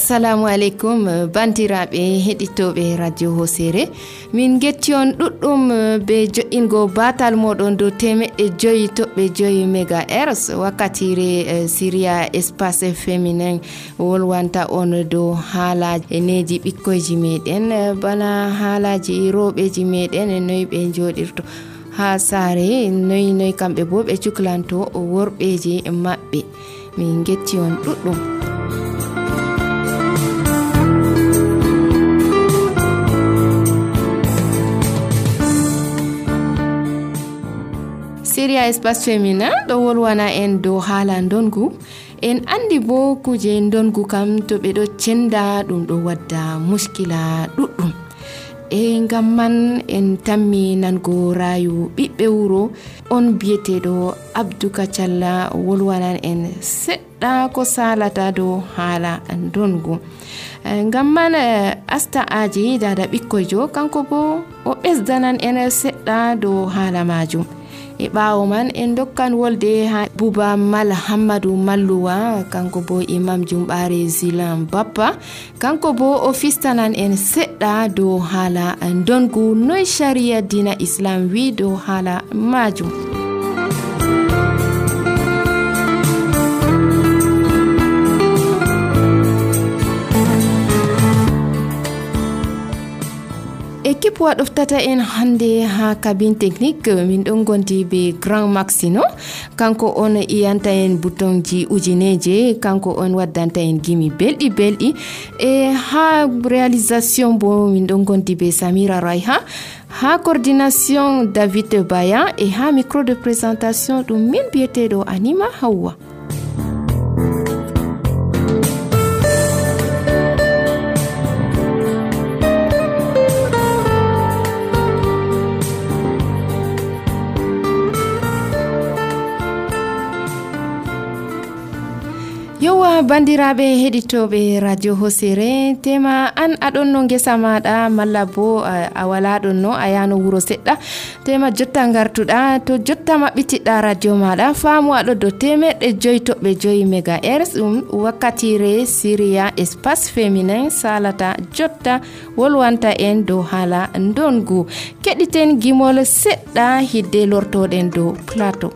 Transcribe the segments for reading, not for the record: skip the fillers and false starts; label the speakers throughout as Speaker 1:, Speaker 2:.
Speaker 1: Assalamu alaikum bandiraɓe heɗitoɓe radio Hosere. Min getti on ɗuɗɗum be jo'ingo batal moɗon do 5.5 MHz wakkatire Syria Espace Féminin wolwanta on do haalaji eneji ɓikkoyji meɗen bana haalaji roɓeji meɗen noy ɓe joɗirto ha saare noy kamɓe bo ɓe cuklanto worɓeji maɓɓe. Min getti on ɗuɗɗum. Syria Espace Féminin ɗo wolwana en dow haala ndongu. En andi bo kuje ndongu kam to ɓe ɗo cenda ɗum ɗo wadda muskila ɗuɗɗum. Ngam man en tammi nango rayu ɓiɓɓe wuro on biyeteɗo Abdou Kacalla wolwanan en seɗɗa ko salata dow haala ndongu. Ngam man Asta Aji dada ɓikkoyjo kanko bo o ɓesdanan en seɗɗa dow haala majum. E ɓaawo man en dokkan wolde ha Buba Mal Hammadou Malluwa kanko bo imam jumɓare Zilan Bappa kanko bo o fistanan en seɗɗa dow haala ndongu noy sharia dina Islam wi dow haala majum. Équipe waɗoftata en hande ha cabine technique min ɗon gondi be Grand Maxino kanko on iyanta en boutonji ujineje kanko on waddanta en gimi belɗi e ha réalisation bo min ɗon gondi be Samira Raiha ha coordination David Baya e ha micro de présentation ɗum min biyeteɗo Anima Hawwa. Yowa bandiraɓe heɗitoɓe radio Hosere tema an aɗon no ngesa maɗa malla bo a wala ɗon no a yano wuro seɗɗa tema jotta gartuɗa to jotta maɓɓitiɗɗa radio maɗa faamu aɗo do 5.5 MHz ɗum wakkatire Syria Espace Féminin salata jotta wolwanta en dow haala ndongu. Keɗiten gimol seɗɗa hidde lortoɗen dow plateau.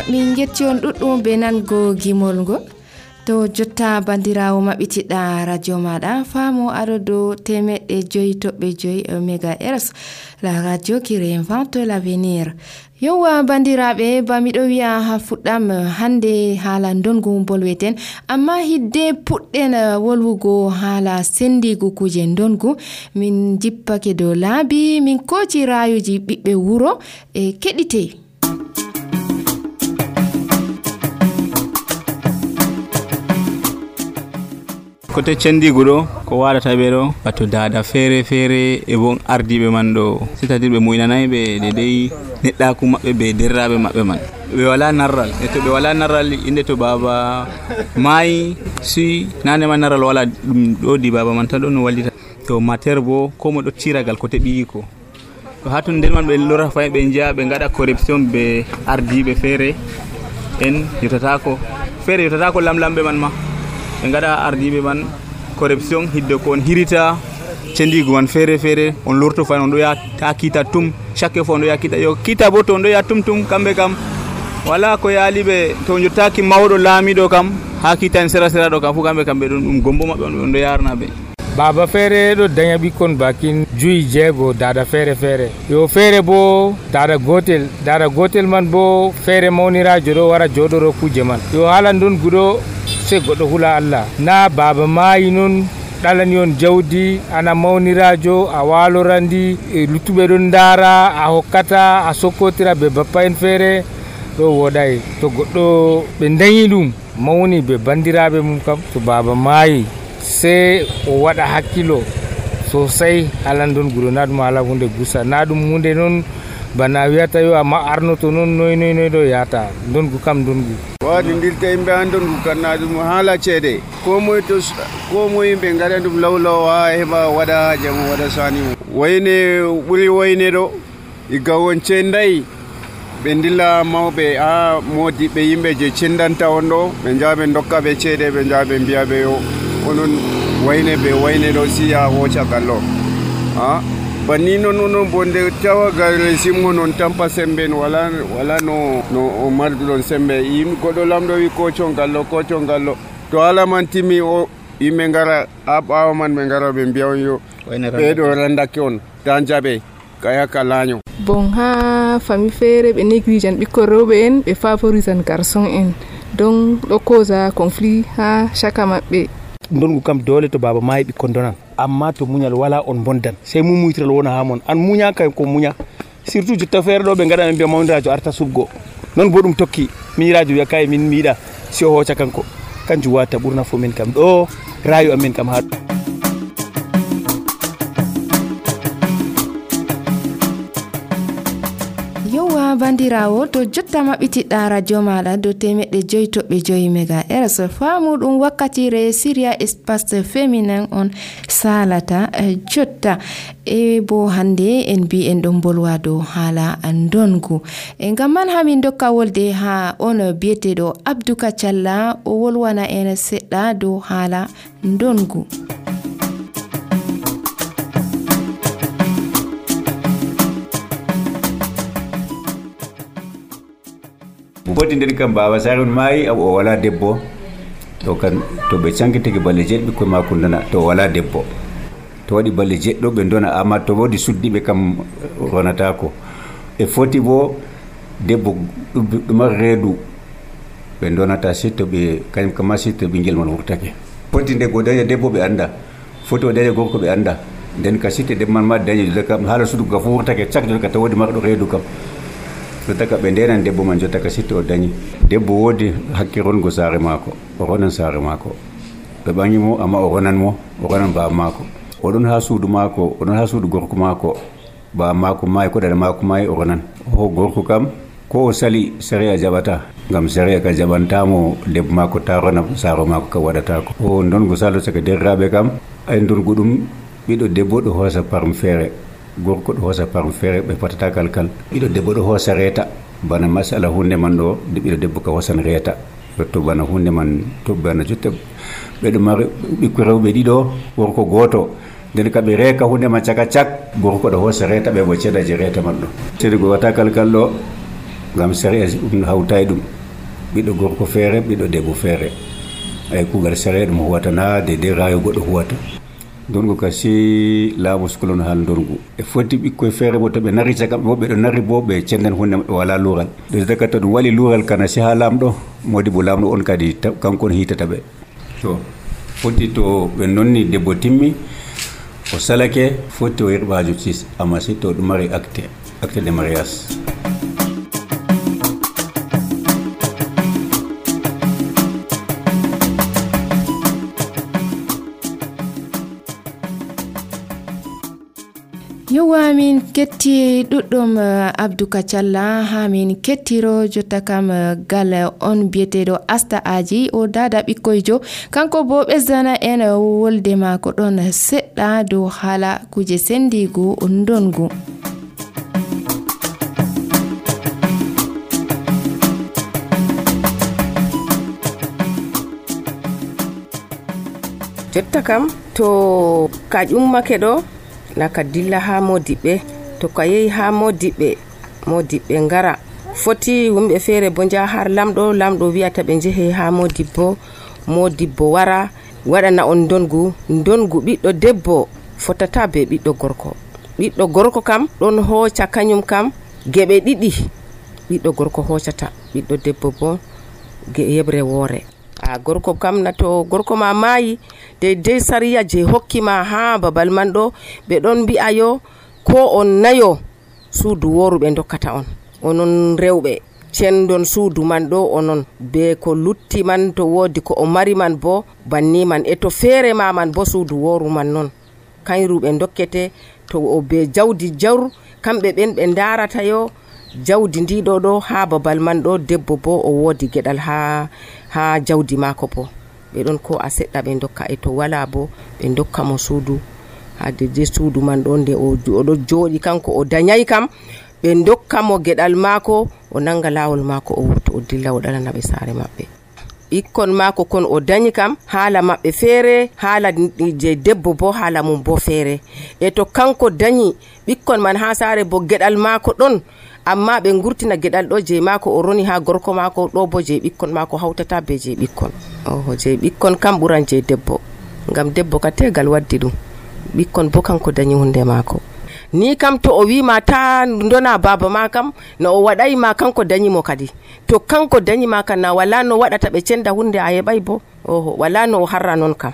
Speaker 1: min getti on ɗuɗɗum be nango gimol ngol to jotta bandirawo maɓɓitiɗɗa radio maɗa famo aɗo dow 5.5 MHz, la radio qui réinvente l'avenir. Yowa bandiraɓe ba miɗo wi'a ha fuɗɗam hande haala ndongu bolweten amma hidde puɗɗen wolwugo haala sendigu kuje ndongu min jippake dow laabi min koci rayuji ɓiɓɓe wuro e keɗite.
Speaker 2: kote cendigu ɗo ko waɗata ɓe ɗo wato dada feere feere e bon ardiɓe man ɗo c'est-à-dire ɓe muynanayi ɓe dedei neɗɗaku maɓɓe be derraɓe maɓɓe man ɓe wala narral e to ɓe wala narral inde to baba maayi si nanema narral wala ɗum ɗodi baba man tan ɗo no wallita to mater bo ko mo ɗo tiragal kote ɓiyiko to ha ton nder man ɓe lora fayi ɓe jiya ɓe gaɗa corruption be ardiɓe feere en yotatako lamlamɓe man ma ɓe gaɗa ardiɓe man corruption hidde ko on hirita cendigu man feere feere on lorto fayi on ɗo yaha ta kiita tum chaque fois on ɗo yaha kiita yo kiita bo to on ɗo yaha tum kamɓe kam wala ko yaaliɓe to jottaki mawɗo laamiɗo kam ha kiita en sera ɗo kam fu kamɓe ɓe ɗum gombo maɓɓe on ɗo yarna ɓe
Speaker 3: baba feere ɗo daña ɓikkon bakin 5-6 dada feere yo feere bo dada gotel man bo feere mawnirajo ɗo wara joɗoro kuje man yo haala ndon guɗo se goɗɗo hula Allah na baba maayi non ɗalani on jawdi ana mawnirajo a walorandi luttuɓe ɗon ndaara a hokkata a sokkotira be bappa en feere ɗo woɗay to goɗɗo ɓe dañi ɗum mawni be bandiraɓe mum kam to baba maayi se o waɗa hakkilo sosai halan ɗon guɗo na ɗum haala hunde gusa na ɗum hunde noon bana wiyata yo amma arnoto noon noy ɗo yata ndongu kam ndongu
Speaker 4: waɗidirta yimɓe han ndongu kam na ɗum haala ceede ko moye yimɓe gaɗa ɗum lawlaw ha heɓa waɗa haaje mum waɗa sani mum wayne ɓuuri wayne ɗo igga won cendayi ɓe dilla mawɓe ha modiɓe yimɓe je cendanta on ɗo ɓe jaha ɓe dokka ɓe ceede ɓe jaha ɓe mbiya ɓe yo onon wayne ɗo siya hooca gallo ha banni noon onon bo nde tawagal simgo noon tampa sembe wala no o marduɗon sembe goɗɗo lamɗo wi kocon gallo to haala man timmi o yimɓe gara ha ɓawa man ɓe gara ɓe mbiya on yo ɓeɗo randake on ta jaɓe kayaka laaño
Speaker 5: bon ha famille feere ɓe négligean ɓikkon rewɓe en ɓe favorisan garçon en donc ɗo causa conflit ha chaka maɓɓe
Speaker 3: ndongu kam dole to baba maayi ɓikkon donan amma to muñal wala on bondan sey mumuytiral wona ha mon an muña kay ko muña surtout jotta feere ɗo ɓe gaɗa ɓe mbiya mawnirajo arta subgo non bo ɗum tokki miñirajo wiya kay min miiɗa si o hooca kanko kanjum wata ɓurna fo min kam ɗo rayu amen kam ha
Speaker 1: bandirawo to jotta maɓɓitiɗɗa radio maɗa dow 105.5 MHz famuɗum wakkatire Syria espace féminin on salata jotta e bo hande en mbi en ɗon bolwa dow haala ndongu e ngam man hamin dokka wolde ha on biyeteɗo Abdou Kacalla o wolwana en seɗɗa dow haala ndongu.
Speaker 6: boti nder kam baba sare on maayi o wala debbo to kan to ɓe cankitiki balle jeɗɗi ɓikkoye makko dona to wala debbo to waɗi balle jeɗɗo ɓe dona amma to wodi suddiɓe kam ronatako e foti bo debbo ɗuma reedu ɓe donata sitto ɓe kañum kama sitto ɓinguel man wurtake foti nde go daña debbo ɓe anda foti o daña gorko ɓe anda nden ka sitte debbo man ma dañi kam haala sudugo ka fu wurtake cak joni ka taw wodi marɗo reedu kam jottaka ɓe ndenan debbo man jottaka sitto o dañi debbo woodi hakke rongo saare maako o ronan saare maako ɓe ɓaŋimo amma o ronan baba maako oɗon ha suudu maako oɗon ha suudu gorko maako baba maako maayi ko ɗaɗa maako maayi o ronan o gorko kam ko o sali séria jaɓata ngam séria ka jaɓantamo debbo maako ta rona saaro maako kam waɗatako o ndongo salo saka derraɓe kam ay ndongu ɗum ɓiɗo debbo ɗo hoosa parme feere gorko ɗo hoosa parme feere ɓe patata kalkal ɓiɗo debbo ɗo hoosa reeta bana masala hunde man ɗo ɓiɗo debbo ka hoosan reeta to bana hunde man to bana jotta ɓeɗo mari ɓikko rewɓe ɗiɗo gorko gooto nden ka ɓe reeka hunde man caka cak gorko ɗo hoosa reeta ɓe bo ceedaji reeta man ɗo sedi go wata kalkal ɗo ngam séria ɗum hawtay ɗum ɓiɗo gorko feere ɓiɗo debbo feere ay kugal séria ɗum huwatana de rayo goɗɗo huwata ndongu ka si laamu sukolono hal ndongu e foti ɓikkoye feere bo to ɓe nari cagam bo ɓe ɗo nari bo ɓe cendan hunde maɓɓe wala luural de daka to ɗum waɗi luural kana si ha laamɗo modibo laamɗo on kadi kanko on hitata ɓe to foti to ɓe nonni debbo timmi o salake foti o yerɓa ha justice amma si to ɗum mari acte de mariage.
Speaker 1: yowa min ketti ɗuɗɗum Abdou Kacalla ha min kettiro jotta kam gal on biyeteɗo Asta Aji o dada ɓikkoyjo kanko bo ɓesdana en wolde mako ɗon seɗɗa dow haala kuje sendigu ndongu.
Speaker 7: jotta kam to ka ƴummake ɗo naka dilla ha modiɓɓe to ka yehi ha modiɓɓe ngara foti wumɓe feere bo jaha har lamɗo wiyata ɓe jehe ha modibbo wara waɗana on ndongu ɓiɗɗo debbo fotata be ɓiɗɗo gorko kam ɗon hoca kañum kam geɓe ɗiɗi ɓiɗɗo gorko hocata ɓiɗɗo debbo bo yebre woore gorko kam na to gorko ma maayi deydey sariya je hokkima ha babal man ɗo ɓe ɗon mbi'a yo ko on nayo suudu woru ɓe dokkata on onon rewɓe cendon suudu man ɗo onon be ko lutti man to wodi ko o mari man bo banni man e to feere ma man bo suudu woru man non kayru ɓe dokkete to o be jawdi jawr kamɓe ɓen ɓe darata yo jawdi ndiɗo ɗo ha babal man ɗo debbo bo o wodi geɗal ha jawdi mako bo ɓe ɗon ko a seɗɗa ɓe dokka e to wala bo ɓe dokka mo suudu ha de suudu man ɗo nde oɗo jooɗi kanko o dañay kam ɓe dokka mo geɗal mako o nanga lawol mako o wurto o dilla o ɗalana ɓe saare maɓɓe ɓikkon mako kon o dañi kam haala maɓɓe feere haala je debbo bo haala mum bo feere e to kanko dañi ɓikkon man ha saare bo geɗal mako ɗon amma ɓe gurtina geɗal ɗo je mako o roni ha gorko mako ɗo bo je ɓikkon mako hawtata be je ɓikkon je ɓikkon kam ɓuran je debbo ngam debbo ka tegal waddi ɗum ɓikkon bo kanko dañi hunde mako ni kam to o wima ta ndona baba ma kam no o waɗay ma kanko dañi mo kadi to kanko dañi ma kam na wala no waɗata ɓe cenda hunde a heɓay bo wala no o harra non kam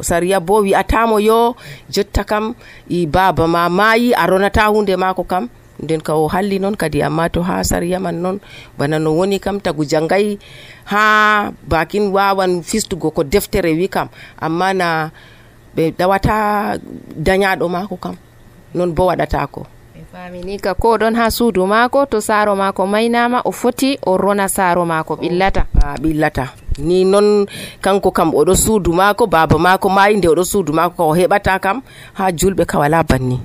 Speaker 7: sariya bo wi'atamo yo jotta kam i baba ma maayi a ronata hunde mako kam nden ka o halli non kadi amma to ha sariya man non bana no woni kam tagu jangay ha bakin wawan fistugo ko deftere wi kam amma na ɓe dawata dañaɗo mako kam non bo waɗatako
Speaker 1: famini ka ko ɗon ha suudu mako to saaro mako maynama o foti o rona saaro mako ɓillata ni non kanko kam oɗo suudu mako baba mako mayi nde oɗo suudu mako ka o heɓata kam ha julɓe ka wala banni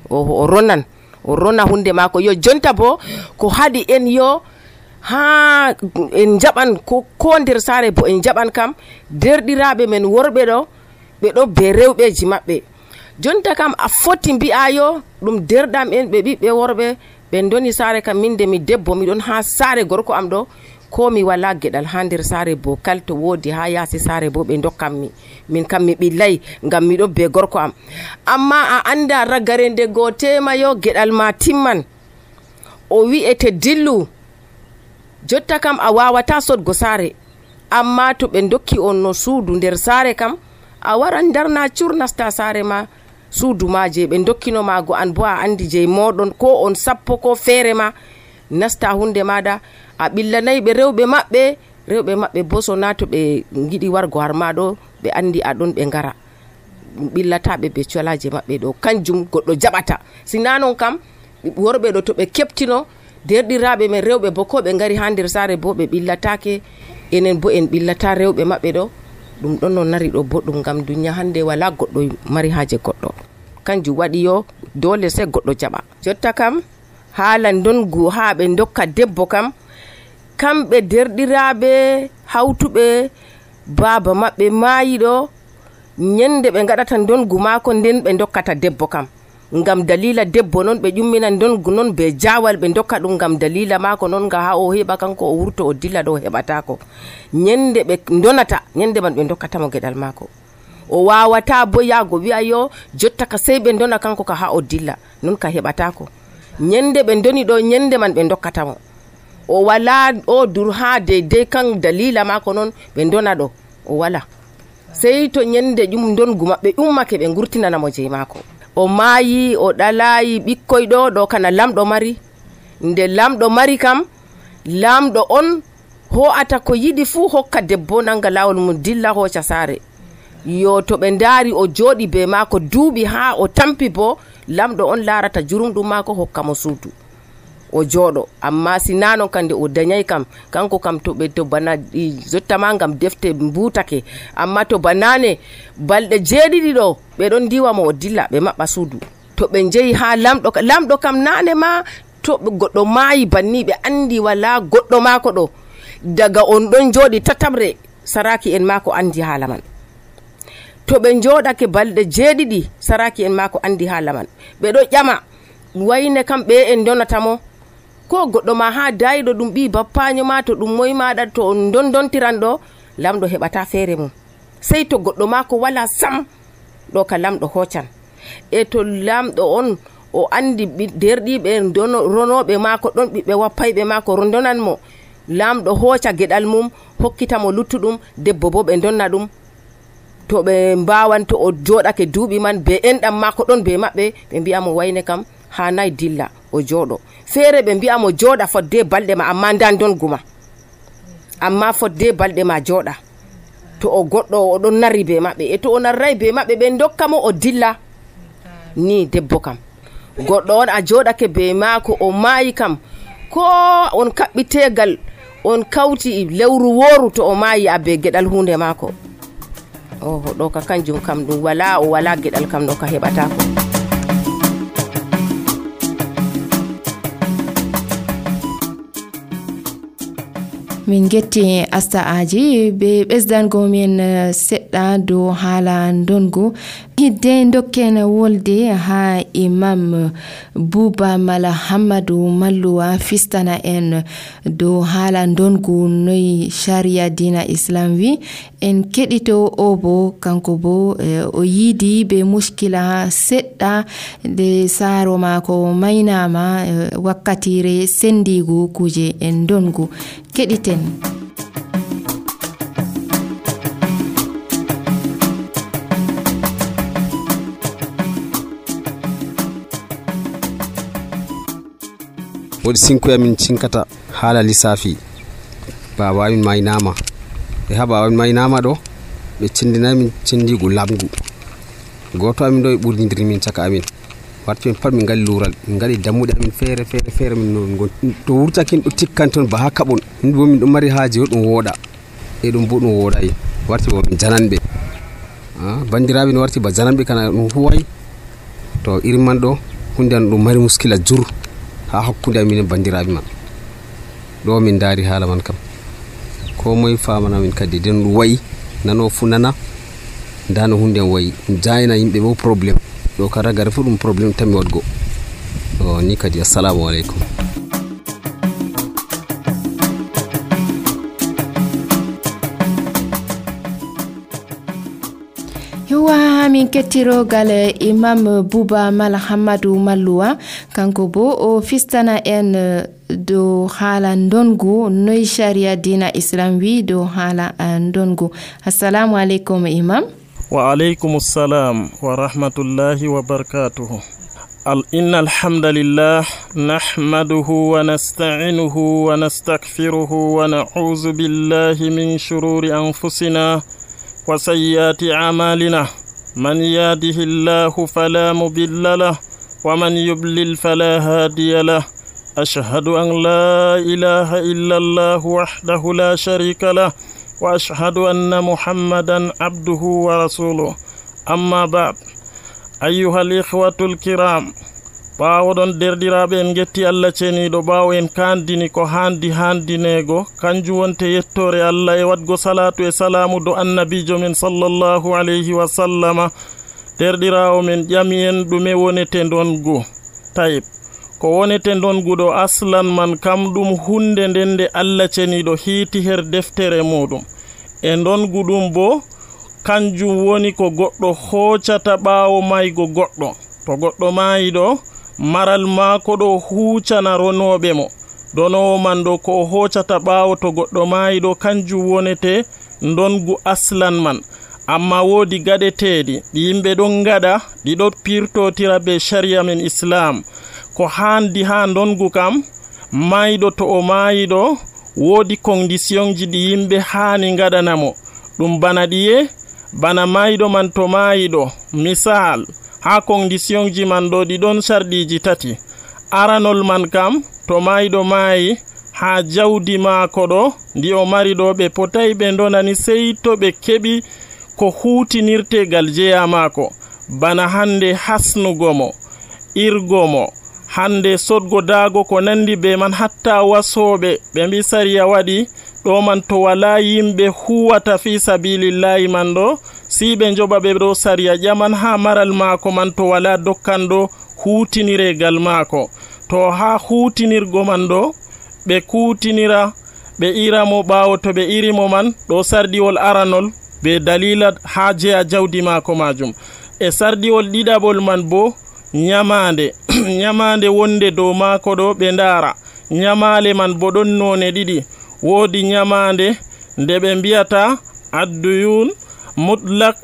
Speaker 1: o rona hunde mako yo jonta bo ko haɗi en yo ha en jaɓan ko nder saare bo en jaɓan kam derɗiraɓe men worɓe ɗo ɓe ɗo be rewɓeji maɓɓe jonta kam a foti mbi'ayo ɗum derɗam en ɓe ɓiɓɓe worɓe ɓe doni saare kam min de mi debbo miɗon ha saare gorko am ɗo ko mi wala geɗal ha nder saare bo kal to wodi ha yaasi saare bo ɓe dokkam min kam mi ɓillay ngam miɗo be gorko am amma a anda ragare nde go temayo geɗal ma timman o wi'ete dillu jotta kam a wawata sodgo saare amma to ɓe dokki on no suudu nder saare kam a waran darna curnasta saare ma suudu ma je ɓe dokkino mago an bo a andi je moɗon ko on sappo ko feere ma nasta hunde maɗa a ɓillanayi ɓe rewɓe maɓɓe bo so na to ɓe giɗi wargo har ma ɗo ɓe andi aɗon ɓe ngara ɓillataɓe be colaje maɓɓe ɗo kanjum goɗɗo jaɓata sina non kam worɓe ɗo to ɓe keptino derɗiraɓe men rewɓe bo ko ɓe ngari ha nder saare bo ɓe ɓillatake enen bo en ɓillata rewɓe maɓɓe ɗo ɗum ɗon no nari ɗo boɗɗum ngam duniya hande wala goɗɗo mari haje goɗɗo kanjum waɗi yo dole sai goɗɗo jaɓa jotta kam haala ndongu ha ɓe dokka debbo kam kamɓe derɗiraɓe hawtuɓe baba maɓɓe maayiɗo nyande ɓe gaɗata ndongu mako nden ɓe dokkata debbo kam ngam dalila debbo non ɓe ƴummina ndongu non be jawal ɓe dokka ɗum ngam dalila mako non ga ha o heɓa kanko o wurto o dilla ɗo heɓatako nyande ɓe donata nyande man ɓe dokkatamo geɗal mako
Speaker 7: o wawata bo yago wi'a yo jotta ka sey ɓe dona kanko ka ha o dilla, non ka heɓatako. Nyende ɓe doni ɗo nyende man ɓe dokkatamo, o wala o dur ha deidei kan dalila mako non ɓe dona ɗo o wala, sey to nyende dongu maɓɓe ummake ɓe gurtinanamo je mako. O maayi o ɗalayi ɓikkoy ɗo kana lamɗo mari. Nde lamɗo mari kam, lamɗo on ho'ata ko yiɗi fuu hokka debbo nanga lawol mum dilla hoca saare. Yo to ɓe ndaari o jooɗi be maako duuɓi ha o tampi bo, lamɗo on larata jurumɗum maako hokka mo suudu o jooɗo. Amma sina non kande o dañay kam, kanko kam to bana jottama ngam defte mbutake, amma to banane balɗe 7 ɗo ɓe ɗon diwa mo o dilla ɓe maɓɓa suudu. To ɓe jeyi ha lamɗo kam nane ma to goɗɗo maayi banni ɓe andi wala goɗɗo maako ɗo, daga on ɗon jooɗi tatabre saraki en maako andi haala man. To ɓe jooɗake balɗe 7 saraki en maako andi haala man. Ɓe ɗo ƴama wayne kam ɓe en donatamo, ko goɗɗo ma ha dayiɗo ɗum ɓi bappaño ma, to ɗum moy maɗa to on dontiran ɗo, lamɗo heɓata feere mum. Sey to goɗɗo ma ko wala sam ɗo ka lamɗo hocan. E to lamɗo on o andi derɗiɓe ronoɓe mako ɗon, ɓiɓɓe wappayɓe mako rondonan mo, lamɗo hoca geɗal mum hokkitamo luttuɗum, debbo bo ɓe donna ɗum. To ɓe mbawan to o joɗake duuɓi man be enɗam mako ɗon be maɓɓe, ɓe mbiyamo wayne kam ha nayi dilla o jooɗo. Feere ɓe mbiyamo jooɗa fodde balɗe ma, amma ndan donguma, amma fodde balɗe ma jooɗa. To o goɗɗo o ɗon narri be maɓɓe, e to o narray be maɓɓe ɓe dokkamo o dilla. Ni debbo kam goɗɗo on a jooɗake be maako o maayi kam, ko on kaɓɓitegal on kawti lewru wooru, to o maayi a be geɗal hunde maako. Ɗo ka kanjum kam ɗum wala, o wala geɗal kam ɗo ka heɓatako.
Speaker 1: min getti Asta Aji be ɓesdango men seɗɗa dow haala ndongu. Hidde dokken wolde ha Imam Buba Mala Hammadou Malluwa fistana en dow haala ndongu noy sharia dina islam wi. En keɗito o bo kanko bo o yiidi be muskila seɗɗa de saaro mako maynama wakkatire sendigu kuje en ndongu. Keɗiten.
Speaker 8: woodi sinkuya min cinkata haala lissafi baba amin maynama e ha baba amin maynama ɗo ɓe cindinayi min cindigu lamgu. Goto amin ɗo e ɓurdidiri min caka amin, warti min pat min ngali lural, min ngali dammuɗe amin feere min non to wurtakin ɗo tikkan ton ba ha kaɓon, min bo min ɗo mari haaji ɗum wooɗa e ɗum bo ɗum wooɗayi, warti bo min jananɓe bandiraɓe no warti ba jananɓe kana ɗum huway. To irin man ɗo hunde an ɗum mari muskila jur ha hakkunde amin e bandiraɓe man. Ɗo min daari haala man kam ko moye famana min kadi den ɗum wayi nano fu nana nda no hunde an wayi jayna yimɓe bo probléme ɗo ka ragare fu ɗum probléme tan mi wadgo ɗo ni kadi. Assalamu aleykum.
Speaker 1: min kettirogal Imam Buba Mala Hammadou Malluwa kanko bo o fistana en do haala ndongu noy sharia dina islam wi do haala ndongu. Assalamu aleykum Imam.
Speaker 9: Wa aleykum assalam wa rahmatullahi wa barakatuhu. Inna alhamdulillah nahmaduhu wa nasta'inuhu wa nastaghfiruhu wa na'udhu billahi min shururi anfusina wa sayyiati a'malina. من يهده الله فلا مضل له ومن يضلل فلا هادي له. أشهد أن لا إله إلا الله وحده لا شريك له وأشهد أن محمدا عبده ورسوله. أما بعد أيها الإخوة الكرام، ɓawoɗon derɗiraɓe en getti Allah ceniɗo ɓawo en kandini ko handinego kanjum wonte yettore Allah e wadgo salatu e salamu do annabijo men sallallahu alayhi wa sallama. Derɗirawo men ƴami en ɗume wonete ndongu. Tayib, ko wonete ndongu ɗo aslan man kam ɗum hunde nden nde Allah ceniɗo hiiti her deftere muɗum, e ndongu ɗum bo kanjum woni ko goɗɗo hoccata ɓaawo maygo goɗɗo. To goɗɗo maayi ɗo, maral maako ɗo huucana ronooɓe mo. Donowo man ɗo ko o hoccata ɓaawo to goɗɗo maayi ɗo kanjum wonete ndongu aslan man. Amma woodi gaɗeteeɗi ɗi yimɓe ɗon ngaɗa, ɗi ɗon pirtotira be sharia men islam. Ko haandi haa ndongu kam, maayiɗo to o maayi ɗo, woodi conditionji ɗi yimɓe haani ngaɗanamo. Ɗum bana ɗiye, bana maayiɗo man to maayi ɗo, misal haa conditionji man ɗo ɗi ɗon sarɗiji tati. Aranol man kam, to maayiɗo maayi, haa jawdi maako ɗo ndi o mari ɗo, ɓe potay ɓe ndonani sey to ɓe keɓi ko huutinirtegal jeya maako. Bana hande hasnugo mo, irgo mo, hande sodgo daago ko nandi be man, hatta wasooɓe ɓe mbi sariya waɗi ɗo man to wala yimɓe huwata fi sabilillahi man ɗo, si ɓe njoɓa ɓe ɗo sariya ƴaman ha maral maako man to wala dokkanɗo huutiniregal maako. To ha huutinirgo man ɗo ɓe kuutinira ɓe iramo, ɓaawo to ɓe irimo man ɗo sardiwol aranol be dalila ha jeya jawdi maako majum. E sardiwol ɗiɗaɓol man bo nyamande nyamande wonde dow maako ɗo ɓe ndaara. Nyamale man bo ɗon none ɗiɗi. Woodi nyamande nde ɓe mbiyata adduyun mutlak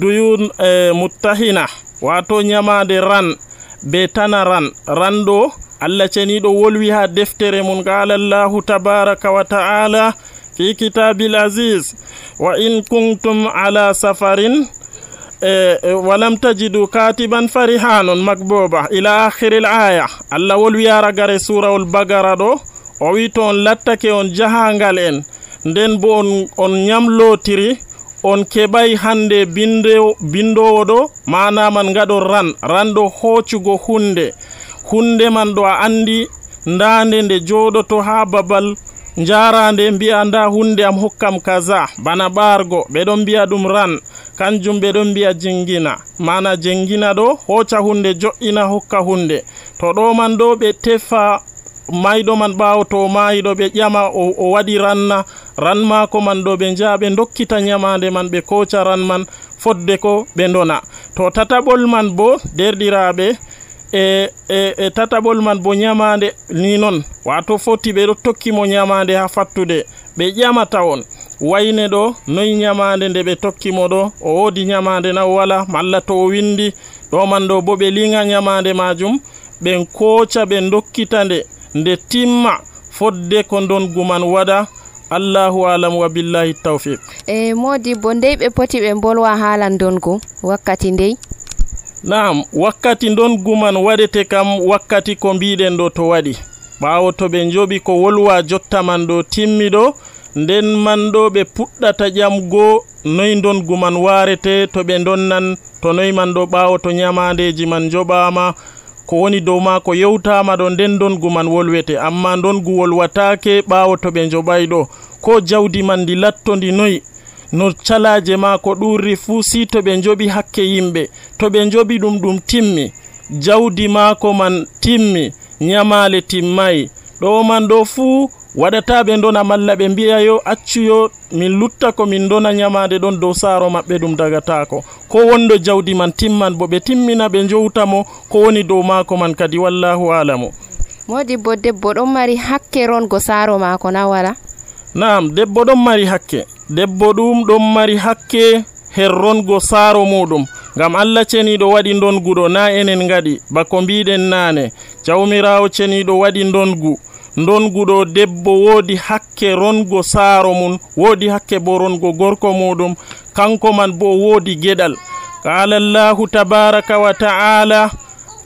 Speaker 9: duyun muttahina, wato nyamande ran be tana ran ɗo Allah ceniɗo wolwi ha deftere mun. Qala Allahu tabaraka wa ta'ala fi kitabil aziz, wa in kuntum ala safarin walam tajidu katiban farihanun makbuba ila akhiril aya. Allah wolwi aragare surawol bagara ɗo, o wi to on lattake on jahangal en, nden bo on nyamlotiri, on keɓay hande bindowo ɗo, manaman ngaɗon ran ɗo hoccugo hunde man ɗo a andi ndande nde joɗoto ha babal jarande mbi'a nda hunde am hokkam kaza, bana ɓargo ɓe ɗon mbi'a ɗum ran, kanjum ɓe ɗon mbi'a jingina, mana jengina ɗo hoca hunde jo'ina hokka hunde. To ɗo man ɗo ɓe tefa mayɗo man ɓaawo to maayiɗo ɓe ƴama o waɗi ran maako man ɗo, ɓe njaha ɓe dokkita nyamande man ɓe koca ran man fodde ko ɓe ndona. To tataɓol man bo derɗiraɓe e tataɓol man bo nyamande ni non, wato foti ɓe ɗo tokkimo nyamande ha fattude, ɓe ƴamata on wayne ɗo noyi nyamande nde ɓe tokkimo ɗo, o woodi nyamande na wala, malla to o windi ɗo man ɗo bo ɓe linga nyamande majum, ɓen koca ɓe dokkita nde timma fodde ko ndongu man waɗa. Allahu alam wa billahi tawfiq.
Speaker 1: Modi bo ndey ɓe poti ɓe bolwa haala ndongu wakkati ndey? Naam, wakkati ndongu man waɗete kam wakkati ko mbiɗen ɗo to waɗi, ɓaawo to ɓe njoɓi ko wolwa jotta man ɗo timmi ɗo, nden man ɗo ɓe puɗɗata ƴamgo noyi ndongu man warete, to ɓe donnan to noyi man ɗo, ɓaawo to nyamandeji man joɓama, ko woni dow ma ko yewtama ɗo, nden ndongu man wolwete. Amma ndongu wolwatake ɓaawo to ɓe njoɓay ɗo, ko jawdi man ndi lattondi noyi, no calaje ma ko ɗurri fuu, si to ɓe njoɓi hakke yimɓe, to ɓe njoɓi ɗum timmi, jawdi maako man timmi, nyamale timmayi, ɗo man ɗo fuu waɗata ɓe ndona, malla ɓe mbi'a yo accuyo min lutta ko min dona nyamade ɗon dow saaro maɓɓe, ɗum dagatako. Ko wondo jawdi man timman bo ɓe timmina ɓe njowtamo ko woni dow maako man kadi. Wallahu alamu. Modibbo debbo ɗon mari hakke rongo saaro maako na wala?
Speaker 9: Naam, debbo ɗon mari hakke. Debbo ɗum ɗon mari hakke her rongo saaro muɗum, ngam Allah ceniɗo waɗi ndongu ɗo, na enen ngaɗi bako mbiɗen nane. Jawmirawo ceniɗo waɗi ndongu ɗo, debbo woodi hakke rongo saaro mum, woodi hakke bo rongo gorko muɗum, kanko man bo woodi geɗal. Qala Allahu tabaraka wa ta'ala,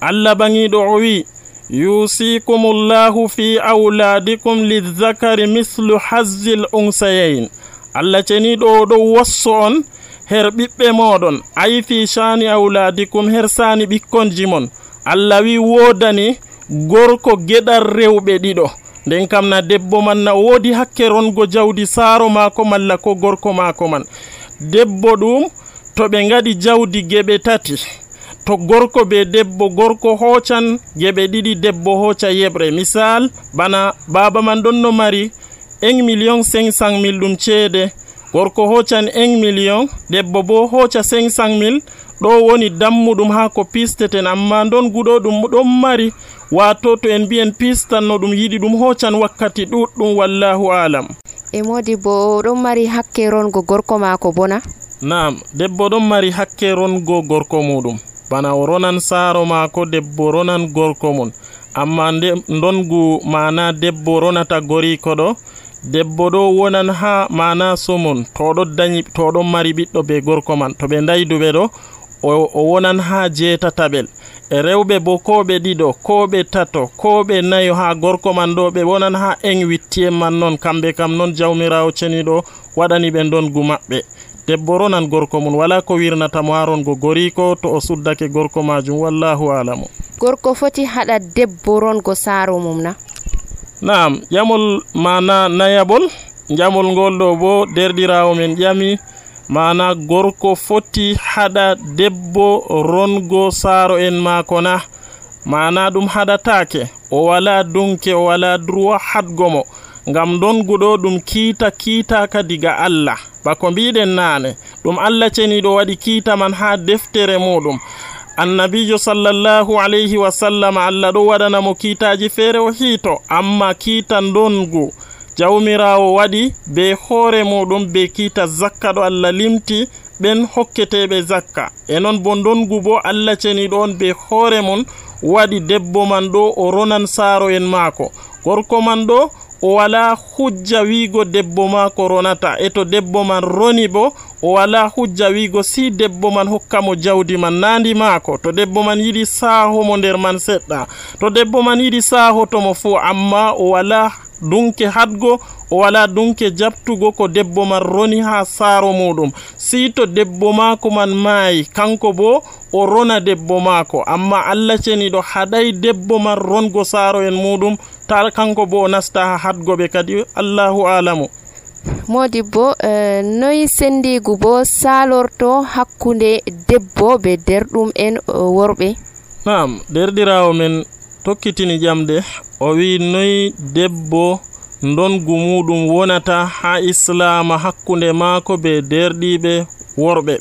Speaker 9: Allah bangiɗo o wi, yusikumullahu fi auladikum lizzakari mislu hazzil unsayayn. Allah ceniɗo o ɗo wasso on her ɓiɓɓe moɗon, ayi fi shani auladikum, her sani ɓikkonji mon. Allah wi wodani gorko geɗal rewɓe ɗiɗo, nden kam na debbo man na woodi hakke rongo jawdi saaro maako malla ko gorko maako man. Debbo ɗum to ɓe ngaɗi jawdi geɓe tati, to gorko be debbo, gorko hocan geɓe ɗiɗi, debbo hoca yeɓre. Misal bana baba man ɗon no mari 1,500,000 ɗum ceede, gorko hoccan 1 million debbo bo hocca 500,000 ɗo woni dammuɗum ha ko pisteten amma ndongu ɗo ɗum ɗon mari wato to en mbiyen pistan no ɗum yiɗi ɗum hoccan wakkati ɗuɗɗum wallahu alam.
Speaker 1: E modi bo ɗon mari hakke rongo gorko maako bona?
Speaker 9: Naam, debbo ɗon mari hakke rongo gorko muɗum bana o ronan saaro maako, debbo ronan gorko mum. Amma ndongu mana debbo ronata goriko ɗo, debbo ɗo wonan ha mana somon to ɗon mari ɓiɗɗo be gorko man, to ɓe dayduɓe ɗo o wonan ha jeetataɓel. E rewɓe bo ko ɓe ɗiɗo ko ɓe tato ko ɓe nayo ha gorko man ɗo ɓe wonan ha wittien man non, kamɓe kam non jawmirawo ceniɗo waɗani ɓe ndongu maɓɓe. debbo ronan gorko mum, wala ko wirnata mo ha rongo goriko to o suddake gorko majum, wallahu alamu.
Speaker 1: Gorko foti haɗa debbo rongo saaro mum na?
Speaker 9: Naam, jamol mana nayabol, jamol ngol ɗo bo derdirawo men ƴami mana gorko foti haɗa debbo rongo saaro en maako na, mana ɗum haɗatake, o wala dunke, o wala droit haɗgo mo, ngam donguɗo ɗum kiitaka diga Allah, bako mbiɗen nane ɗum Allah ceniɗo waɗi kiita man ha deftere muɗum. Annabijo sallallahu alayhi wa sallam Allah ɗo waɗanamo kiitaji feere o hiito, amma kiita dongu jawmirawo waɗi be hoore muɗum be kiita zakka ɗo Allah limti ɓen hokketeɓe zakka. E non bo dongu bo Allah ceniɗo on be hoore mum waɗi debbo man ɗo o ronan saaro en maako. Gorko man ɗo o wala hujja wiigo debbo maako ronata, e to debbo man roni bo o wala hujja wiigo si debbo man hokkamo jawdi man nandi maako. To debbo man yiɗi saahomo nder man seɗɗa, to debbo man yiɗi saahotomo fuu, amma o wala dunke hadgo, o wala dunke jabtugo ko debbo man roni ha saaro muɗum. Si to debbo maako man maayi, kanko bo o rona debbo maako, amma Allah ceniɗo haɗay debbo man rongo saaro en muɗum, ta kanko bo o nasta ha hadgoɓe kadi, Allahu alamu.
Speaker 1: Modibbo, noyi sendigu bo salorto hakkunde debbo be derɗum en worɓe?
Speaker 9: Naam, derdirawo men tokkitini jamde, o wi noyi debbo ndongu muɗum wonata ha islama hakkunde maako be derɗiɓe worɓe.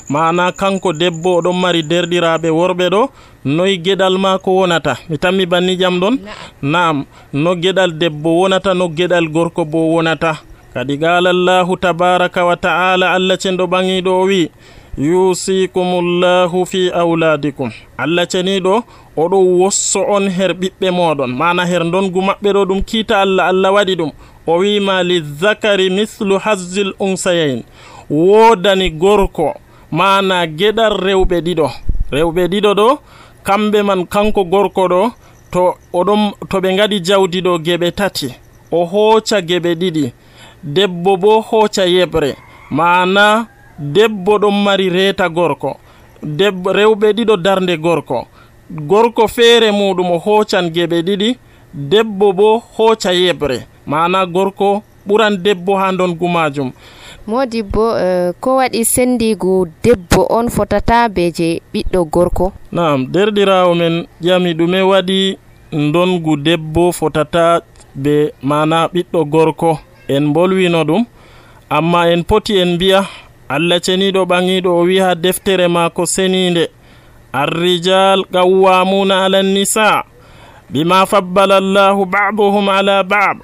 Speaker 9: Mana kanko debbo oɗon mari derdiraɓe worɓe ɗo, noyi geɗal maako wonata? Mi tammi banni jam ɗon? Naam, no geɗal debbo wonata, no geɗal gorko bo wonata. Kadi qala Allahu tabaraka wa ta'ala, Allah cenɗo ɓangiɗo o wi yusikumullahu fi auladikum. Allah ceniɗo oɗo wosso on her ɓiɓɓe moɗon, mana her ndongu maɓɓe ɗo ɗum kiita Allah waɗi ɗum. O wima lizakari mislu hazzil unsayain, wodani gorko mana geɗal rewɓe ɗiɗo ɗo, kamɓe man kanko gorko ɗo to ɓe ngadi jawdi ɗo geɓe tati, o hooca geɓe ɗiɗi, debbo bo hooca yebre, mana debbo ɗon mari reeta gorko, rewɓe ɗiɗo darde gorko feere muɗum o hoocan geɓe ɗiɗi, debbo bo hooca yebre, mana gorko ɓuran debbo ha ndongu majum.
Speaker 1: Modibbo, ko waɗi sendigu debbo on fotata be je ɓiɗɗo gorko? Naam,
Speaker 9: derdirawo men ƴami ɗume waɗi ndongu debbo fotata be mana ɓiɗɗo gorko. En bolwino ɗum, amma en poti en mbiya Allah ceniɗo ɓangiɗo o wi ha deftere maako seninde, arrijal qawwamuna ala nisa bima fabbala Allahu ba'dahum ala ba'd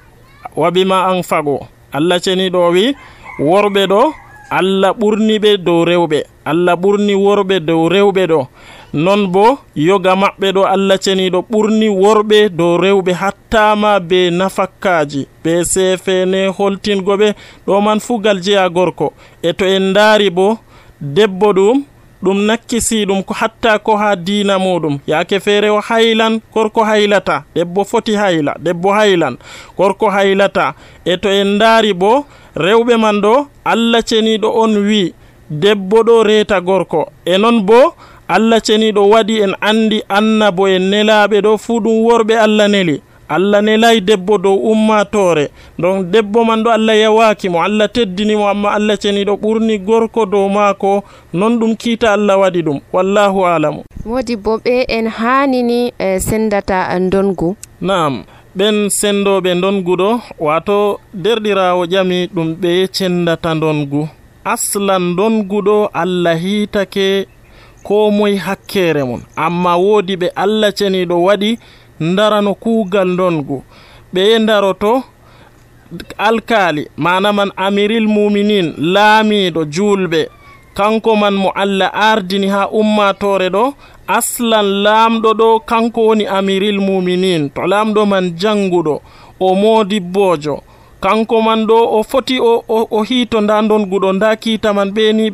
Speaker 9: wa bima anfaqu. Allah ceniɗo o wi worɓe ɗo Allah ɓurni ɓe dow rewɓe, Allah ɓurni worɓe dow rewɓe ɗo, non bo yoga maɓɓe ɗo Allah ceniɗo ɓurni worɓe dow rewɓe, hattama be nafakkaji be sefene holtingo ɓe ɗo man fugal jeya gorko. E to en daari bo debbo ɗum nakkisi ɗum ko hatta ko ha diina muɗum, yaake feere o haylan, gorko haylata, debbo foti hayla, debbo haylan, gorko haylata. E to en daari bo rewɓe man ɗo Allah ceniɗo on wi debbo ɗo reeta gorko, e non bo Allah ceniɗo waɗi en andi annabo en nelaɓe ɗo fuu ɗum worɓe Allah neli. Allah nelay debbo dow ummatore, donc debbo man ɗo Allah yawakimo, Allah teddinimo, amma Allah ceniɗo ɓurni gorko dow maako, non ɗum kiita Allah waɗi ɗum, wallahu alamu.
Speaker 1: Modibbo, ɓe en hanini sendata ndongu?
Speaker 9: Naam, ɓen sendoɓe ndongu ɗo wato derɗirawo ƴami ɗum ɓe cendata ndongu. Aslan ndongu ɗo Allah hitake ko moye hakkere mum, amma woodi ɓe Allah ceniɗo waɗi ndarano kuugal ndongu. ɓe ndaroto alkali mana man amiril muminin laamiɗo julɓe, kanko man mo Allah ardini ha ummatore ɗo. Aslan laamɗo ɗo kanko woni amiril muminin, to laamɗo man janguɗo o modibbojo, kanko man ɗo o foti o hito nda ndongu ɗo, nda kiita man ɓeni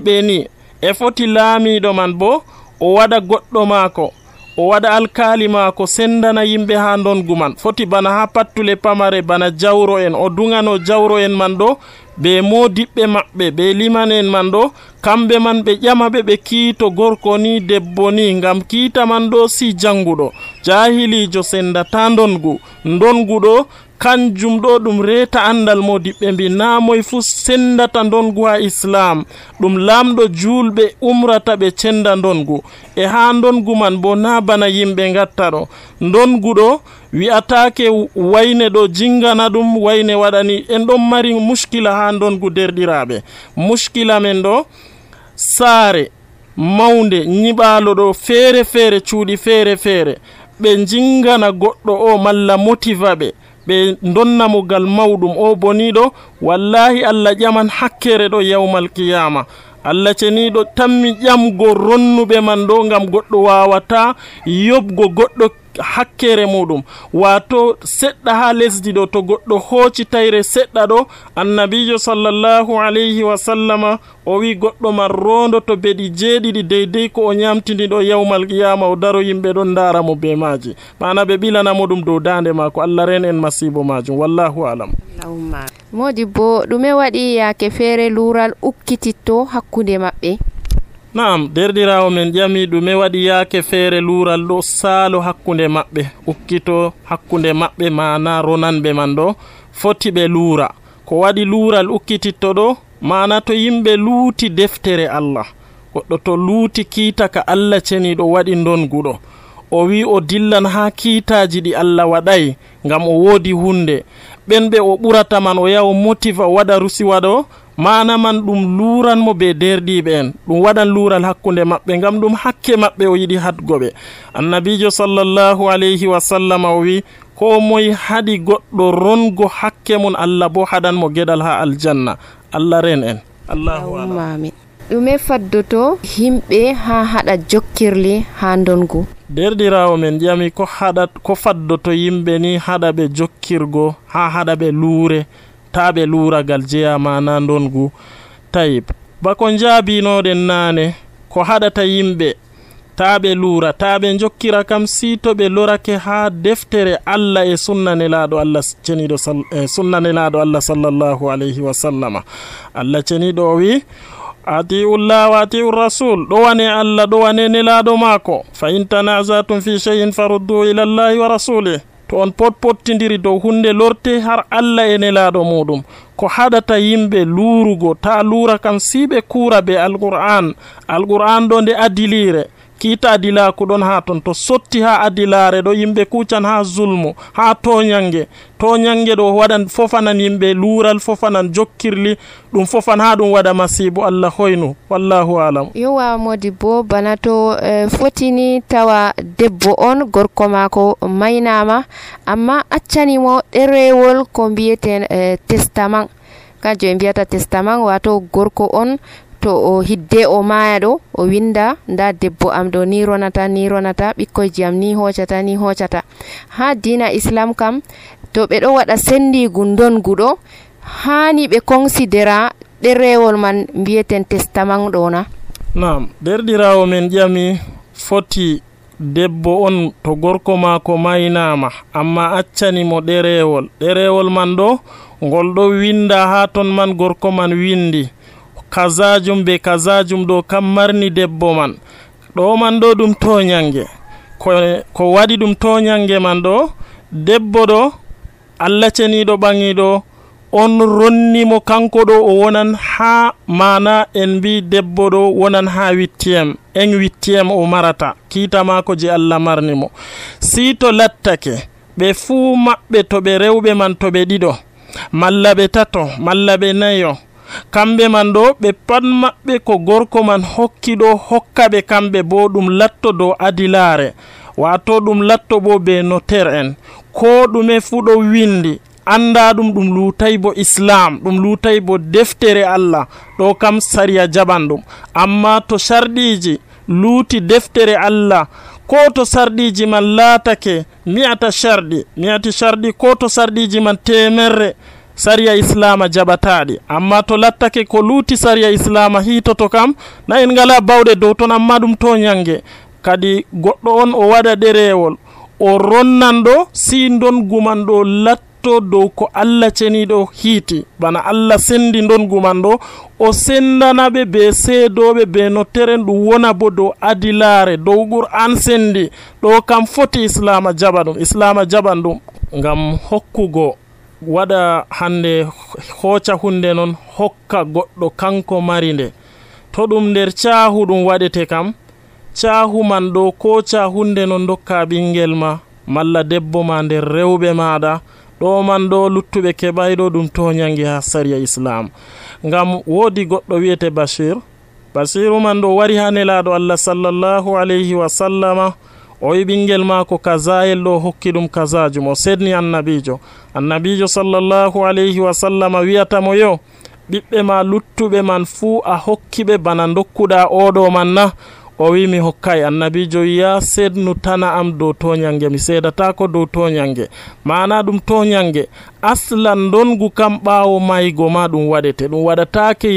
Speaker 9: ɓeni e foti laamiɗo man bo o waɗa goɗɗo maako, o waɗa alkali maako sendana yimɓe ha ndongu man. Foti bana ha pattule pamare bana jawro en, o dungano jawro en man ɗo be modiɓɓe maɓɓe be liman en man ɗo, kamɓe man ɓe ƴamaɓe ɓe kiito gorko ni debbo ni, ngam kiita man ɗo si janguɗo jahilijo sendata ndongu ɗo kanjum ɗo ɗum reta andal modiɓɓe mbi namoy fu sendata ndongu ha islam, ɗum lamɗo julɓe umrata ɓe cenda ndongu. E ha ndongu man bo na bana yimɓe gatta ɗo, ndongu ɗo wi'atake wayne ɗo jingana ɗum wayne waɗani. En ɗon mari muskila ha ndongu derɗiraɓe. Muskila men ɗo saare mawnde nyiɓalo ɗo feere feere, cuuɗi feere feere, ɓe jingana goɗɗo o malla motiva ɓe donnamo gal mawɗum o boniɗo, wallahi Allah ƴaman hakkere ɗo yawmal qiyama. Allah ceniɗo tammi ƴamgo ronnuɓe man ɗo, ngam goɗɗo wawata yobgo goɗɗo hakkere muɗum. Wato seɗɗa ha lesdi ɗo to goɗɗo hooci tayre seɗɗa ɗo, annabijo sallallahu alayhi wa sallama o wi goɗɗo man rondo to beɗi jeeɗiɗi deydey ko o ñamtini ɗo yawmal qiyama, o daro yimɓe ɗon ndara mo be maji, mana ɓe ɓilanamo ɗum dow dande mako. Allah ren en masibo majum, wallahu alam.
Speaker 1: Modibbo ɗume waɗi yaake feere luural ukkititto hakkunde maɓɓe?
Speaker 9: Naam, derɗirawo men ƴami ɗume waɗi yaake feere luural ɗo saalo hakkunde maɓɓe, ukkito hakkunde maɓɓe, mana ronanɓe man ɗo foti ɓe luura. Ko waɗi luural ukkititto ɗo, mana to yimɓe luuti deftere Allah, goɗɗo to luuti kiita ka Allah ceniɗo waɗi ndongu ɗo, o wi o dillan ha kiitaji ɗi Allah waɗay ngam o woodi hunde, ɓen ɓe o ɓurata man o yaha o motiva o waɗa rusiwa ɗo, mana man ɗum luranmo be derdiɓe en, ɗum waɗan lural hakkunde maɓɓe, ngam ɗum hakke maɓɓe o yiɗi hadgoɓe. Annabijo sallallahu alayhi wa sallam o wi ko moye haɗi goɗɗo rongo hakke mum, Allah bo haɗanmo geɗal ha aljanna. Allah ren en. Allahu amin.
Speaker 1: ɗume faddoto himɓe ha haɗa jokkirli ha ndongu?
Speaker 9: Derɗirawo men ƴami ko faddoto yimɓe ni haɗa ɓe jokkirgo ha haɗa ɓe luure, ta ɓe luuragal jeya mana ndongu. Tayib, bako jaabinoɗen nane ko haɗata yimɓe ta ɓe luura, ta ɓe jokkira kam si to ɓe lorake ha deftere Allah e sunna nelaɗo Allah ceniɗo sunna nelaɗo Allah sallallahu alayhi wa sallama. Allah ceniɗo o wi atiullah wa atiur rasul, ɗowane Allah ɗowane nelaɗo maako, fa in tanazatum fi shay'in faruddu ila Allahi wa rasulih. To on pottindiri dow hunde lorte har Allah e nelaɗo muɗum. Ko haɗata yimɓe luurugo ta luura kam si ɓe kuura be alqur'an ɗo nde adilire, kiita adilaku ɗon ha ton, to sotti ha adilare ɗo yimɓe kucan ha zulmu, ha toñange ɗo waɗan fofanan yimɓe luural, fofanan jokkirli, ɗum fofan ha ɗum waɗa masibo. Allah hoynu, wallahu alam.
Speaker 1: Yowa Modibbo, bana to fotini tawa debbo on gorko mako maynama, amma accanimo ɗerewol ko mbiyeten testament, kanjum ɓe mbiyata testament, wato gorko on to o hidde o maya ɗo o winda nda debbo am ɗo ni ronata ɓikkoyji am ni hoccata. Ha dina islam kam to ɓe ɗo waɗa sendigu ndongu ɗo hani ɓe considera ɗerewol man mbiyeten testament ɗo na?
Speaker 9: Naam, derɗirawo men ƴami foti debbo on to gorko mako maynama amma accanimo ɗerewol man ɗo ngol ɗo winda ha ton man gorko man windi kazajum be kazajum ɗo kam marni debbo man ɗo man ɗo ɗum toñange. Ko waɗi ɗum toñange man ɗo, debbo ɗo Allah ceniɗo ɓangiɗo on ronnimo kanko ɗo o wonan ha, mana en mbi debbo ɗo wonan ha 8e o marata kiita mako je Allah marnimo. Si to lattake ɓe fuu maɓɓe to ɓe rewɓe man to ɓe ɗiɗo malla ɓe tato malla ɓe nayo, kamɓe man ɗo ɓe pat maɓɓe ko gorko man hokki ɗo hokka ɓe kamɓe bo ɗum latto dow adilare, wato ɗum latto bo be notaire en, ko ɗume fuu ɗo windi anda ɗum lutay bo islam, ɗum lutay bo deftere Allah, ɗo kam sariya jaɓan ɗum. amma to sharɗiji luuti deftere Allah ko to sarɗiji man laatake mi'ata sharɗi ko to sarɗiji man temerre, sariya islama jaɓataɗi. amma to lattake ko luuti sariya islama hitoto kam na en ngala bawɗe dow ton, amma ɗum to nyange kadi goɗɗo on o waɗa ɗerewol o ronnanɗo si ndongu man ɗo latto dow ko Allah ceniɗo hiiti, bana Allah sendi ndongu man ɗo o sendanaɓe be seedoɓe be no teren ɗum wona bo dow adilare dow Qur'an sendi, ɗo kam foti islama jaɓa ɗum, islama jaɓan ɗum ngam hokkugo waɗa hande hooca hunde non hokka goɗɗo kanko mari nde, to ɗum nder caahu ɗum waɗete kam caahu man ɗo ko caahunde non dokka ɓingel ma malla debbo ma nder rewɓe maɗa, ɗo man ɗo luttuɓe keɓayɗo ɗum to nyangi ha sariya islam. ngam woodi goɗɗo wiyete basiru man ɗo wari ha nelaɗo Allah sallallahu alayhi wa sallama, o wi ɓingel mako kazayel ɗo hokki ɗum kazajum, o sedni annabijo sallallahu alayhi wa sallama wiyatamo yo ɓiɓɓe ma luttuɓe man fuu a hokkiɓe bana dokkuɗa oɗo man na? o wi mi hokkay. annabijo wiya sednu tana am dow toñange, mi seedatako dow toñange, mana ɗum toñange aslan ndongu kam ɓawo maygo ma ɗum waɗete, ɗum waɗatake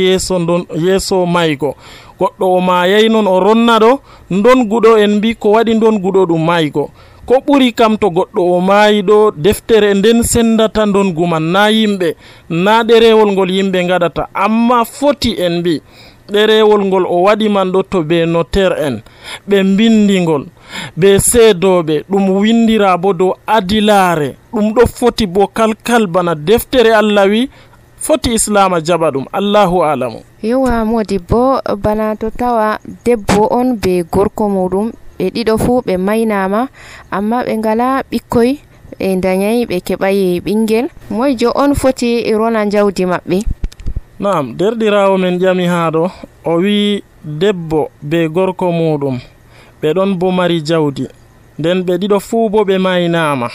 Speaker 9: yeeso maygo. goɗɗo o mayay non o ronna ɗo ndonguɗo en mbi ko waɗi ndonguɗo ɗum maygo, ko ɓuri kam to goɗɗo o maayi ɗo deftere nden sendata ndongu man, na yimɓe, na ɗerewol ngol yimɓe gaɗata, amma foti en mbi ɗerewol ngol o waɗi man ɗo to be notaire en ɓe mbindigol be seedoɓe, ɗum windira bo dow adilare, ɗum ɗo foti bo kalkal bana deftere Allah wi foti islama jaɓa ɗum. Allahu alamu.
Speaker 1: yowa modibbo bana to tawa debbo on be gorko muɗum ɓe ɗiɗo fuu ɓe maynama amma ɓe ngala ɓikkoy, ɓe dañay ɓe keɓayi ɓingel, moyjo on foti rona jawdi maɓɓe?
Speaker 9: Naam, derɗirawo men ƴami ha ɗo o wi debbo be gorko muɗum ɓe ɗon bo mari jawdi, nden ɓe ɗiɗo fuu bo ɓe maynama,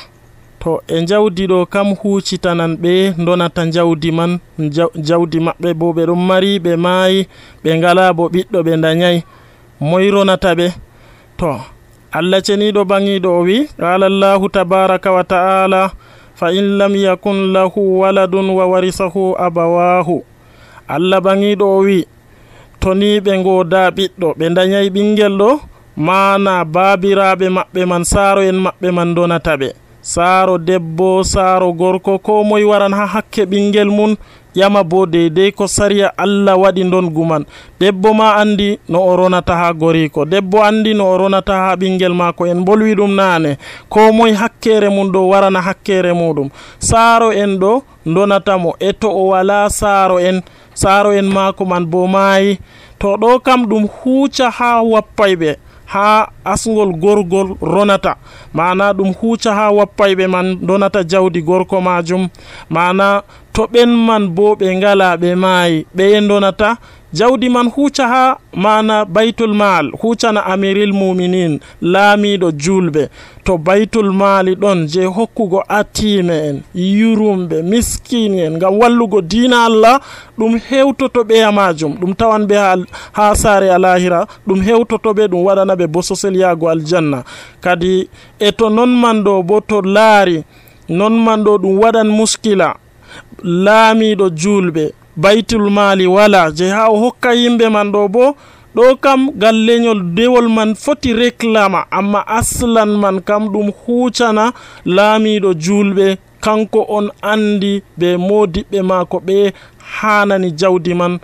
Speaker 9: to e jawdi ɗo kam hucitanan ɓe donata jawdi man, jawdi maɓɓe bo ɓe ɗon mari, ɓe maayi, ɓe ngala bo ɓiɗɗo, ɓe dañay, moy ronata ɓe? to Allah ceniɗo bangiɗo o wi qala Allahu tabaraka wa ta'ala fa in lam yakun lahu waladun wa warisahu abawahu. Allah bangiɗo o wi to ni ɓe ngoda ɓiɗɗo, ɓe dañay ɓingel ɗo, mana babiraɓe maɓɓe man, saaro en maɓɓe man donata ɓe, saaro debbo, saaro gorko, ko moy waran ha hakke ɓingel mun ƴama bo deydey ko sariya Allah waɗi ndongu man. debbo ma andi no o ronata ha goriko, debbo andi no o ronata ha ɓingel mako, en bolwi ɗum nane, ko moy hakkere mum ɗo warana hakkere muɗum. saaro en ɗo donatamo, e to o wala saaro en mako man bo maayi, to ɗo kam ɗum huuca ha wappayɓe ha asgol gorgol ronata, mana ɗum huuca ha wappayɓe man donata jawdi gorko majum, mana to ɓen man bo ɓe ngala ɓe maayi, ɓe donata jawdi man huuca ha mana baytul mal, huucana amiril muminin, laamiɗo julɓe. to baytul mali ɗon je hokkugo atime en, yurumɓe, miskini en, ngam wallugo diina Allah, ɗum hewtoto ɓeya majum, ɗum tawan ɓe ha saare alahira, ɗum hewtoto ɓe, ɗum waɗana ɓe bososel yaago aljanna. kadi e to non man ɗo bo to laari non man ɗo ɗum waɗan muskila, laamiɗo julɓe, baytul mali wala je ha o hokka yimɓe man ɗo bo, ɗo kam galleñol dewol man foti réclama, amma aslan man kam ɗum huucana laamiɗo julɓe, kanko on andi be modiɓɓe mako ɓe hanani jawdi man.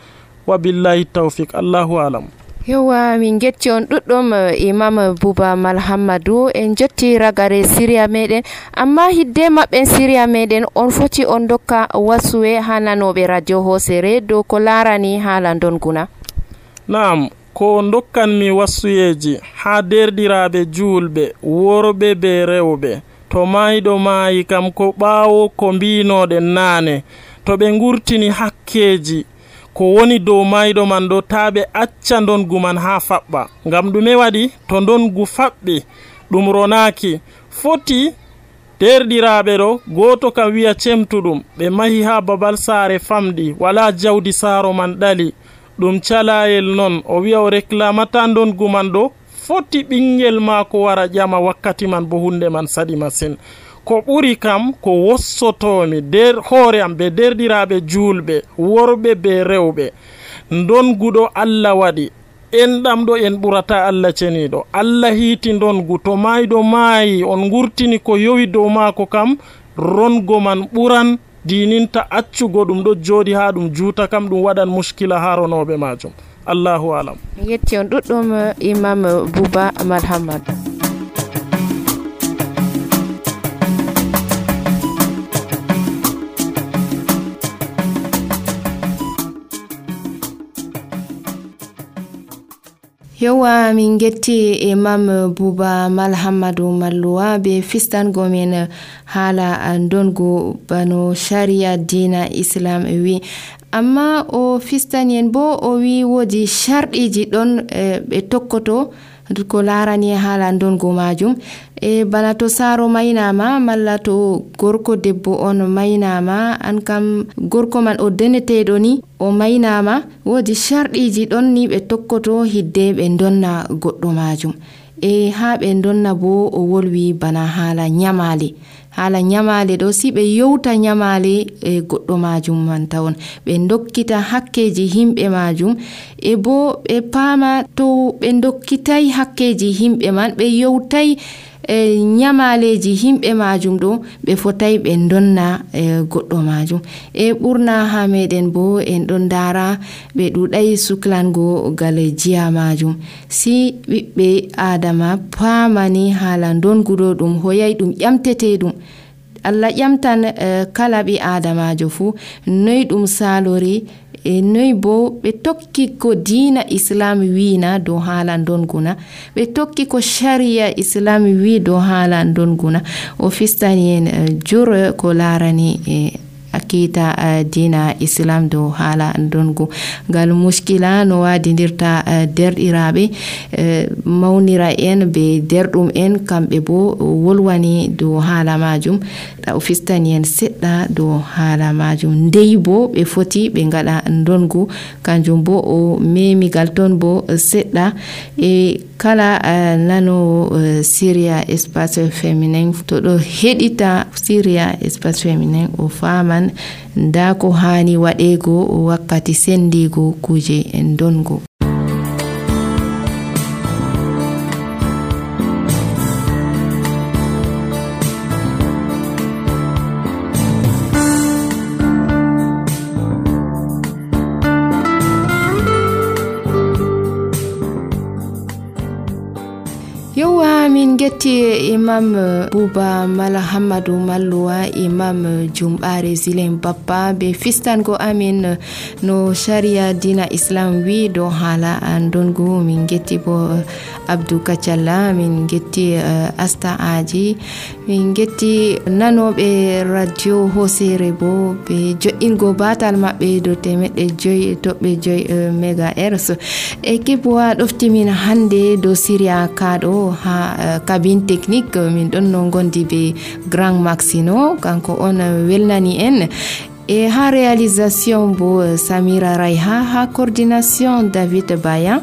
Speaker 9: wa billahi tawfiq. Allahu alam.
Speaker 1: yowa min getti on ɗuɗɗum imam Buba Malhammadou, en jotti ragare siriya meɗen, amma hidde maɓɓen siriya meɗen on foti on dokka wasuwe ha nanoɓe radio hosere dow ko larani haala ndonguna.
Speaker 9: Naam, ko dokkanmi wasuyeji ha derɗiraɓe julɓe, worɓe be rewɓe, to mayɗo maayi kam ko ɓaawo ko mbinoɗen naane to ɓe ngurtini hakkeji ko woni dow mayɗo man ɗo taa ɓe acca ndongu man haa faɓɓa. ngam ɗume waɗi? to ndongu faɓɓi ɗum ronaaki foti derɗiraaɓe ɗo gooto kam wi'a cemtuɗum ɓe mahi haa babal saare famɗi wala jawdi saaro man ɗali ɗum calayel non o wi'a o réclamata ndongu man ɗo foti ɓingel maako wara ƴama wakkati man bo hunde man saɗi masin. ko ɓuri kam ko wossotomi nder hoore am ɓe derɗiraaɓe juulɓe worɓe be rewɓe ndonguɗo Allah waɗi enɗam ɗo en ɓurata Allah ceniɗo. Allah hiiti ndongu to mayɗo maayi on ngurtini ko yowi dow maako kam rongo man ɓuran dininta accugo ɗum ɗo jooɗi haa ɗum juuta kam ɗum waɗan muskila haa ronoɓe majum. Allahu alam.
Speaker 1: mi yetti on ɗuɗɗum Imam Buba Malhamad. yowa min getti Imam Buba Malhamadu Malluwa be fistango men haala ndongu bano sharia dina islam wi amma o fistan bo o wi wodi sharɗiji ɗon ɓe tokkoto ko larani haala ndongu majum bana to saaro maynama malla to gorko debbo on maynama an kam gorko man o deneteɗo ni o maynama wodi sharɗiji ɗon ni ɓe tokkoto hidde ɓe donna goɗɗo majum ha ɓe donna bo o wolwi bana haala nyamale ɗo si ɓe yewta nyamale goɗɗo majum man tawon ɓe dokkita hakkeji himɓe majum bo ɓe paama to ɓe dokkitai hakkeji himɓe man ɓe yewtai nyamaleji himɓe majum ɗo ɓe fotai ɓe donna goɗɗo majum ɓurna ha meɗen bo en ɗon dara ɓe ɗuɗai suklango gal jiya majum si ɓiɓɓe adama paamani haala donguɗo ɗum hoyai ɗum ƴamtete ɗum Allah ƴamtan kala ɓi adamajo fu noy ɗum salori noy bo ɓe tokki ko diina islam wiina dow haala donguna ɓe tokki ko sharia islam wi dow haala donguna o fistani en jur ko larani akita diina islam dow haala dongu ngal muskila no wadidirta derɗiraɓe mawnira en be derɗum en kamɓe bo wolwani dow haala majum o fistani en seɗɗa dow haala majum ndey bo ɓe foti ɓe ngaɗa dongu kanjum bo o memigal ton bo seɗɗa kala nano Syria espace féminin to ɗo heɗita Syria espace féminin o faman nda ko hani waɗego wakkati sendigo kuje en dongo. min getti Imam Buba Malhamadu Malluwa Imam Jumbare Zilen Bappa be fistango amin no sharia dina islam wi do hala andongo min getti bo Abdou Kacalla min getti Asta Aji min getti nanoɓe radio hosere bo be jo'ingo batal maɓɓe do temedde joyi toɓɓe joyi megahertz équipe wa ɗoftimin hande do Syria kaɗo ha cabine technique min ɗon no gondi be Grand Maxino kanko on welnani en et ha réalisation bo Samira Raiha ha coordination David Bayan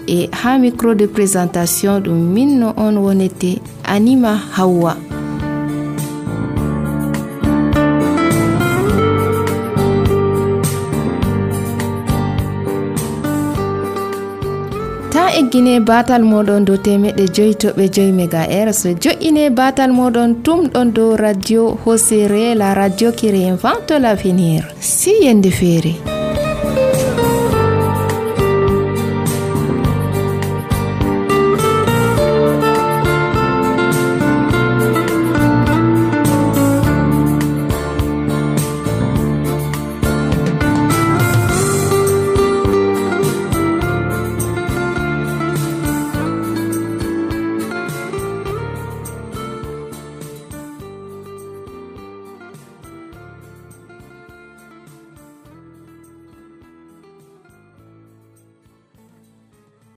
Speaker 1: et ha micro de présentation ɗum min no on wonete Anima Hawa. eggine batal moɗon do temedde joyi toɓɓe joyi megahertz jo'ine batal moɗon tumɗon do radio hosere la radio qui réinvente l'avenir si yende feere.